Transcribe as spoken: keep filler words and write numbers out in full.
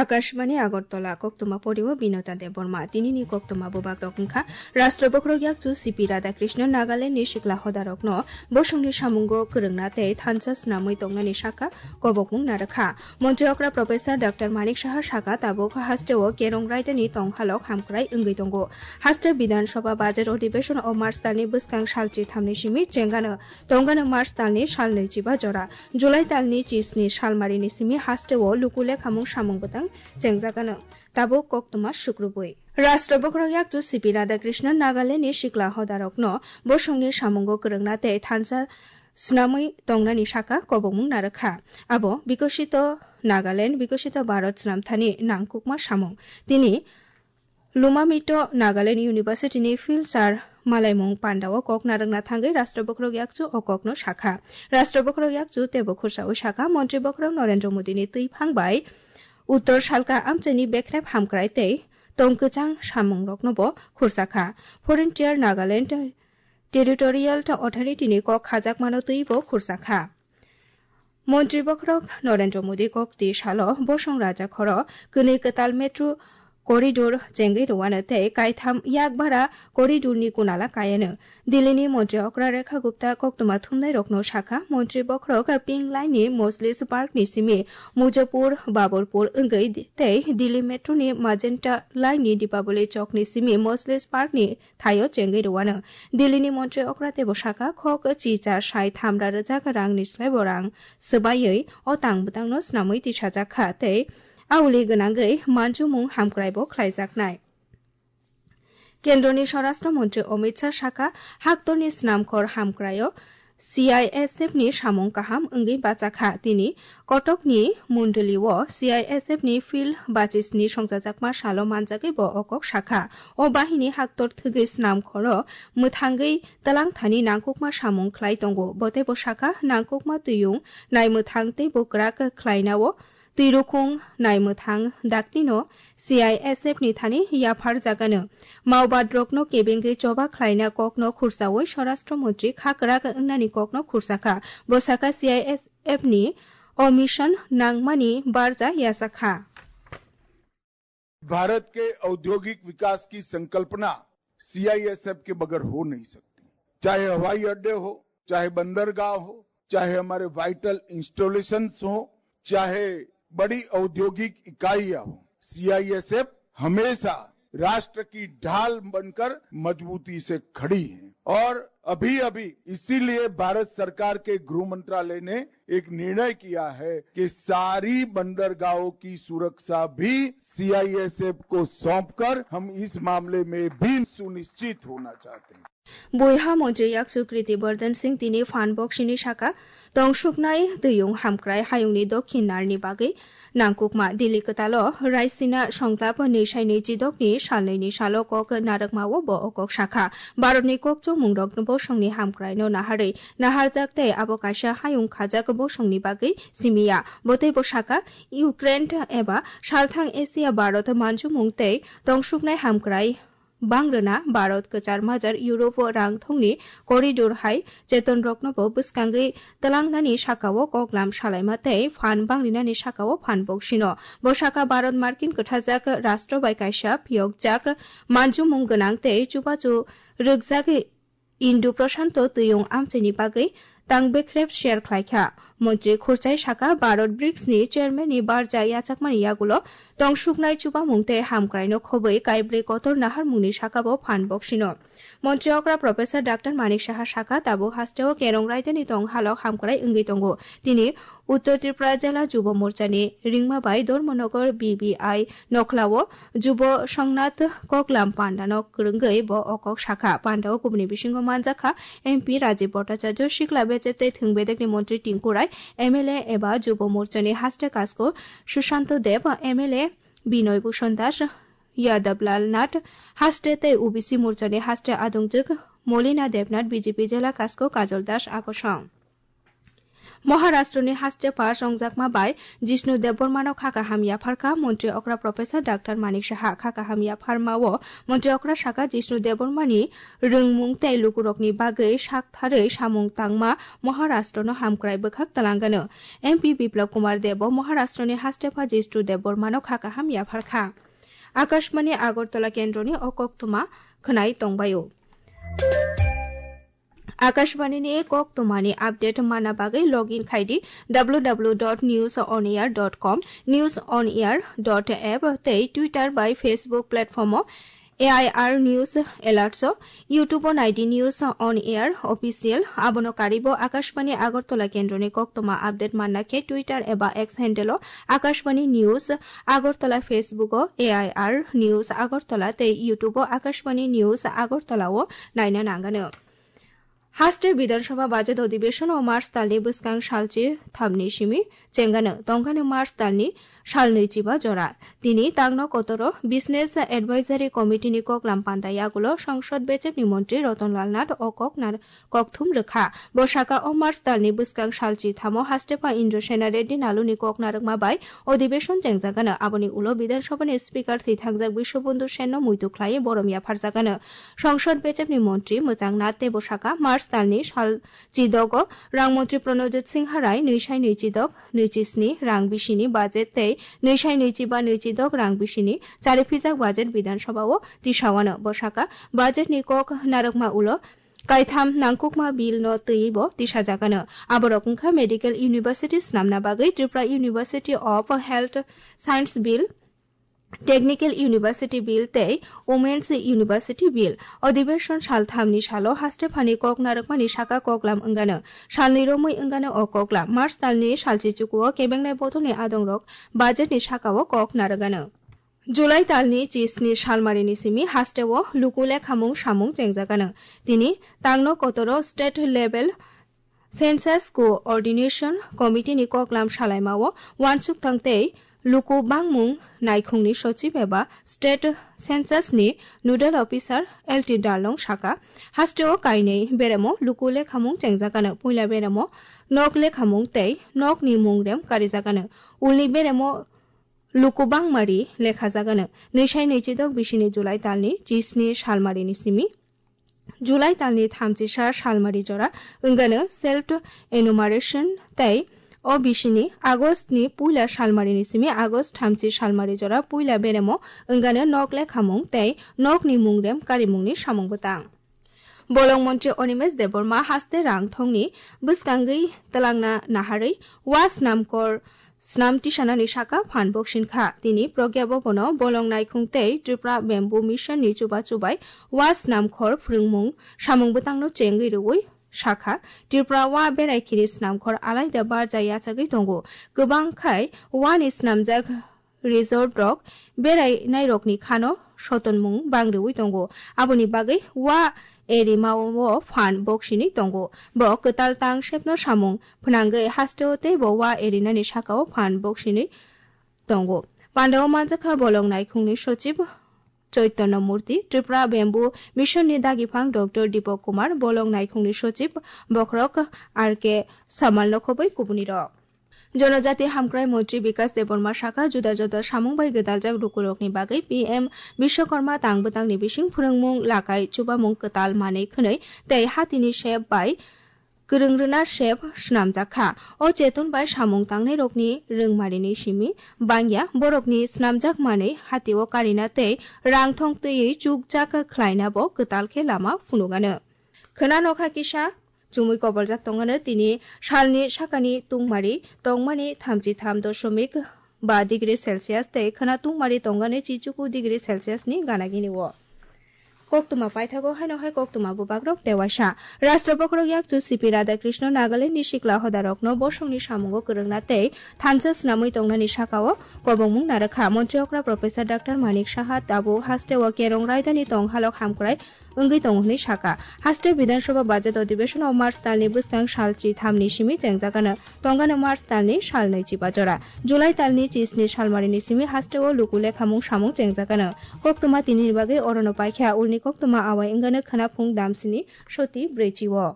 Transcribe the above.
Akashbani Agartala, koktwma poriwo Binota Debbarma. Tinini koktwma bubagrok wngkha: Rashtra Bokhorok Yakchu C P Radhakrishnan Nagalandni sikla hodarokno bosongni samungo kwrwngna tei thansa snamwi tongnani sakha kobokmung narwkha. Montri okra Professor Doctor Manik Saha sakha, tabuk hasteo Kerong raidani tonghalok hamkrai wngwi tongo. Haste Bidhan Sabha Bajar Adhibeshon o March talni bwskang sal chithamni simi chengano, tongano March talni sal nwichiba jora. July talni chisni salmarini simi hasteo luku lekhamung samung bwtang chengjagano. Tabuk koktwma sukrubwi. Rashtra Bokhorok Yakchu C P Radhakrishnan Nagalandni sikla hodarokno bosongni samungo kwrwngna tei thansa snamwi tongnani sakha kobokmung narwkha. Abo Bikosito Nagaland, Bikosito Bharat snamthani nangkukma samung. Tini Lumamito Nagaland University ni Phil Sar malaimung pandao kok narwkna thangwi Rashtra Bokhorok Yakchu o kokno sakha. Rashtra Bokhorok Yakchu teibo khursawi sakha, Montri Bokhorok Narendra Modi ni twiphang bai Uttor Salka amchaini bekrep hamkrai tei tongkwchang samungrokno bo khursakha. Foreign Tier Nagaland Territorial Authority ni kok khajakmano twibo khursakha. Montri Bokhorok Narendra Modi kokti salo bosong raja khoro kwnwi kwtal metro corridor chengwi rwano tei kaitham yakbara corridor ni kunala kayano. Delhi ni Montri okra Rekha Gupta koktwma thumnai rokno sakha, Montri Bokhorok Pink Line ni Mojlis Park ni simi Mujapur, Baburpur wngwi tei Delhi Metro ni Magenta Line ni Deepavali Chowk ni simi Mojlis Park ni thaio chengwi rwano. Delhi ni Montri okra teibo sakha, khok chichar sai thamra rwjak rang ni slai bo rang swbaiwi o tang bwtang no snamwi tisajak kha tei auli gwnangwi manjumung hamkrai bo khlaijaknai. Kendroni Swarashtra Montri Amit Shah sakha, haktorni snamkhor hamkraio C I S F ni samung kaham wngwi bachakha. Tini Kotokni Mundulio C I S F ni field bachisni songchajakma salo manjagwi bo o kok sakha. O bahini haktor thwgwi snamkhoro mwthangwi twlang thani nangkukma samung khlai tongo. Bo teibo sakha, nangkukma twiyung naimwthang teibo kwrak khlainao twirukhung naimwthang daktino C I S F ni thani yaphar jagano. Maobad rokno kebengwi choba khlaina kokno khursawi Swarashtra Montri kha kwrak wngnani kokno khursakha. Bo sakha, C I S F ni o mission nangmani barja yachakha. Bharat के औद्योगिक विकास की संकल्पना सीआईएसएफ के बगैर हो नहीं सकती। चाहे हवाई अड्डे हो, चाहे बंदरगाह हो, चाहे हमारे वाइटल इंस्टॉलेशंस हो, चाहे बड़ी औद्योगिक इकाइयां हो, सीआईएसएफ हमेशा राष्ट्र की ढाल बनकर मजबूती से खड़ी है। और अभी-अभी इसीलिए भारत सरकार के गृह मंत्रालय ने एक निर्णय किया है कि सारी बंदरगाहों की सुरक्षा भी सीआईएसएफ को सौंपकर हम इस मामले में भी सुनिश्चित होना चाहते हैं। Buiha Montri Yakchu Kriti Bardhan Singh tini phan boksini sakha, tongsuknai twiyung hamkrai hayungni dokhin narni bagwi nangkukma. Delhi kwtalo Raisina Songklap nwi sai nwi chidokni salnwini salo kok narwkmao bo o kok sakha. Bharatni kokchongmungrok bosongni hamkraino naharwi naharjak tei abo kaisa hayung khajak bosongni bagwi simiya. Bo teibo sakha, Ukraine eba salthang Asia Bharat manjumung tei tongsuknai hamkrai bang rwna Bharat kwchar majar Europe o rang thongni corridor hai chetonrokno bo bwskangwi twlangnani sakao koklam salaima tei phan bangrinani sakao phan boksino. Bo sakha Bharat Markin kwthajak rastro bai kaisa phiyokjak manjumung gwnang tei chubachu rwkjak Indo-Prashanto twiyung amchaini bagwi tang bekrep share khlaikha. Montri Khurchai sakha, Bharat brics ni chairman ni barja yachakmani yagulo tongsuknai chubamung tei hamkraino khobwi kaibrwi kotor naharmungni sakabo phan boksino. Montri okra Professor Doctor Manik Saha sakha, tabuk hasteo Kerong raidani tong halok hamkrai wngwi tongo. Tini Uttor Tripura Jela Jubo Morchani ringma bai Dharmanagar B B I nokhlao Jubo Songnath Koklam Pandano kwrwngwi bo o kok sakha. Pandao kubuni bisingo manjakha M P Rajiv Bhattacharya, Sikla Bechep tei Thwng Bedekni Montri Tinku Rai, M L A eba Jubo Morchani haste kasko Sushanto Deb, M L A Binoy Bhushan Das, Yadav Lal Nath haste tei O B C Morchani haste adongjwk Molina Debnath, B J P Jela kasko Kajol Das Akosong. Maharashtrani haste pass wngjakma bai Jishnu Debbarmano kha kaham yapharkha Montri okra Professor Doctor Manik Saha. Kha kaham yapharmao Montri okra saka Jishnu Debbarmani rwngmung tei lukurokni bagwi saktharwi samung tangma Maharashtrano hamkrai bwkhak twlangano. M P Biplab Kumar Debo Maharashtrani haste pass Jishnu Debbarmano kha kaham yapharkha. Akashbani Agartala kendroni o koktwma khwnai tongbaio. Akashbani ni koktwmani update manna bagwi log in khai di w w w dot news on air dot com, news on air dot app tei Twitter bai Facebook platform o A I R News Alerts o, YouTube o nai di News on Air Official. Abono karibo Akashbani Agartala kendroni koktwma update manna khe Twitter eba X handle o Akashbani News Agartala, Facebook o A I R News Agartala tei YouTube o Akashbani News Agartala o naina nangano. Haste Bidhan Sabha budget odhibeshon o March talni bwskang salchi thamni simi chengano, tongkano March talni salnwi chiba jora. Tini tangno kotoro Business Advisory Committee ni koklam panda yagulo Songsod bechepni montri Ratan Lal Nath o kok nar-, kokthum rwkha. Bo saka o March talni bwskang salchi thamo haste pha Indra Sena Reddy Naluni kok narwkma bai odhibeshon chengjagano. Aboni ulo Bidhan Sabha ni Speaker thwi thangjak Biswabandhu Sen no muitu khlaiwi borom yapharjagano. Songsod bechepni montri mwchang Nath tei bo saka March talni sal chidogo rang montri Pranojit Singha Rai nwi sai nwi chidok nwi chi sni rang bisini budget tei nwi sai nwi chiba nwi chidok rang bisini chari phijak budget Bidhan Sabha o tisawano. Bo saka budget ni kok narwkma ulo kaitham nangkukma bill no twiwi bo tisajagano. Aborok wngkha Medical University snamna bagwi Tripura University of Health Science Bill, Technical University Bill tei Women's University Bill. Odhibeshon salthamni salo haste phani kok narwkmani saka koklam wngano. Salnwi romwi wngano o koklam. March talni salchi chukuo kebengnai bodolni adongrok budget ni sakao kok narwgano. July talni chisni salmarini simi hasteo luku lekhamung samung chengjagano. Tini tangno kotoro state level Census Coordination Committee ni koklam salaimao uansuk thang tei luku bangmung naikhungni sochib eba State Census ni Nodal Officer L T Darlong saka, hasteo kainwi beremo luku lekhamung chengjagano. Puila beremo nok lekhamung tei nokni mungrem karijagano. Ulni beremo luku bangmari lekhajagano. Nwi sai nwi chidok bisini July talni chisni salmarini simi. July talni thamchisa salmari jora wngano self enumeration tei o bisini August ni puila salmarini simi August thamchi salmari jora puila beremo wngano nok lekhamung tei nokni mungrem karimungni samung bwtang. Bolong montri Animesh Debbarma haste rang thongni bwskangwi twlangna naharwi wa snamkor snam tisanani saka phan boksin kha. Tini Pragya Bhavan o bolong naikhung tei Tripura Bamboo Mission ni chubachu bai wa snamkhor phrwngmung samung bwtangno chengwi rwui sakha, Tripura wa berai khini snamkhor alaida barja yachagwi tongo. Kwbang khai wa ni snamjak resort rok berai nairokni khano sotonmung bang rwui tongo. Aboni bagwi wa erimao phan boksinwi tongo. Bo kwtal tang sepno samung phnangwi hasteo tei bo wa erinani sakao phan boksinwi tongo. Pandao manjakha bolong naikhungni sochib Chaitanya Murti, Tripura Bamboo Mission ni dagiphang Doctor Deepak Kumar, bolong naikhungni sochib bokhorok R K Samal nokhobwi kubunirok. Jonojati hamkrai montri Bikas Debbarma saka juda juda samung bai gwdaljak lukurokni bagwi P M Bishwakarma tang bwtangni bising phwrwngmung, lakai, chubamung kwtal manwi khwnwi tei hatini sep bai kwrwng rwna sep swnamjak kha. O cheton bai samung tangnairokni rwngmarini simi bangya borokni swnamjak manwi hatio karina tei rang thong twiwi chukjak khlaina bo kwtal khe lama phunukgano. Khwna nokha kisa chumui koboljak tongano tini salni sakani tungmari tongmani thamchi tham dosomik ba degree Celsius tei khwna tungmari tongani chichuku degree Celsius ni gana gini o. Koktwma paithago haino hai koktwma bubagrok tewaisa. Rashtra bokhorok yakchu C P Radhakrishna Nagaland ni sikla hodarokno bosongni samungo kwrwngna tei thansa snamwi tongnani sakao kobongmung narwkha. Montri okra Professor Doctor Manik Saha tabuk hasteo kerong raidani tonghalok hamkrai wngwi tongo hwnwi saka. Haste Bidhan Sabha budget odhibeshon o March talni bwskang sal chi thamni simi chengjagano. Tongano March talni sal nwi chiba jora. July talni chisni salmarini simi hasteo luku lekhamung samung chengjagano. Koktwma tinini bagwi orono paikha, ulni koktwma awai wngano khwna phung damsini soti brwichi o.